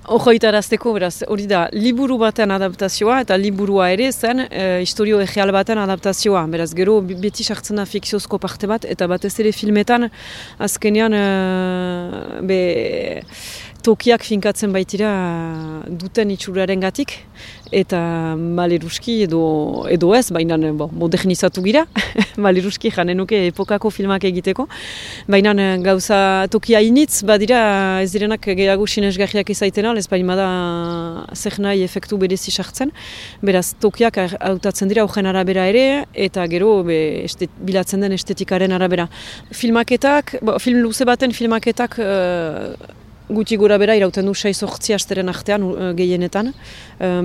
Ojoitarazteko, beraz, hori da, liburu baten adaptazioa eta liburua ere zen historio egeal baten adaptazioa. Beraz, gero beti sartzen da fikziozko parte bat, eta batez ere filmetan azkenean tokiak finkatzen baitira duten itxuraren gatik, eta maleruski edo ez, baina modernizatu gira, maleruski janenuke epokako filmak egiteko, baina gauza tokia initz badira ez direnak gehiago sinesgarriak izaitena, ez baina da zer nahi efektu berezi sartzen, beraz tokiak hautatzen dira horren arabera ere, eta gero bilatzen den estetikaren arabera. Filmaketak, film luze baten filmaketak gutxi gora bera irauten du 6-8 asteren artean gehienetan.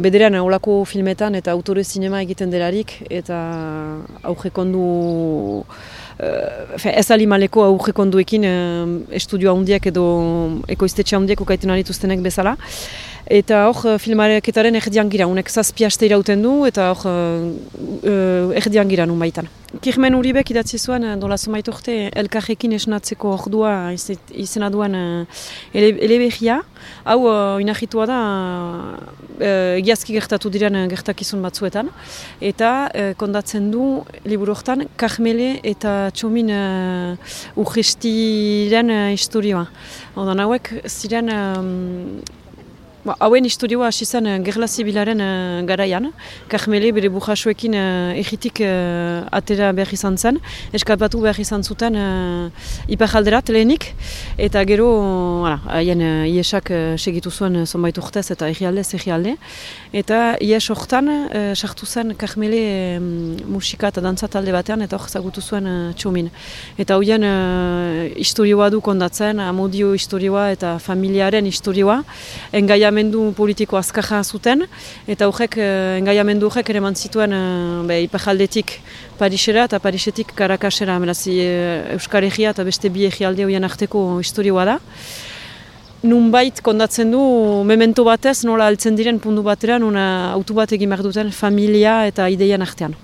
Bederean olako filmetan eta autore zinema egiten delarik eta aurrekondu ez alimaleko aurrekonduekin estudio handiak edo ekoiztetxe handiak ukaiten dituztenek bezala. Eta hor filmareketaren erdian gira, unek 7 aste irauten du eta hor erdian gira nun baitan. Kirmen Uribek idatzi zuen dola zomait urte elkarrekin esnatzeko ordua izena duen eleberria. Hau inahitua da egiazki gertatu diren gertakizun batzuetan. Eta kondatzen du liburu hortan Karmele eta Txomin urgestiren historioa. Odan hauek ziren hauen historioa hasi zen gerla zibilaren garaian. Karmele bere burjasuekin egitik atera behar izan zen, eskapatu behar izan zuten iparalderat lehenik, eta gero haien iesak segitu zuen zonbait urtez eta egialde. Eta ies hortan sartu zen Karmele musika eta dantza talde batean eta hor zagutu zuen Txomin. Eta hoien historioa du kondatzen, amodio historioa eta familiaren historioa, engaiamendu politiko azkarra zuten, eta engaiamendu horrek ere eman zituen iparaldetik Parisera eta Parisetik Karakasera, beraz Euskal Herria eta beste bi egialde horien arteko historioa da. Nunbait kondatzen du memento batez nola altzen diren puntu bateran autu bat egin behar duten familia eta ideien artean.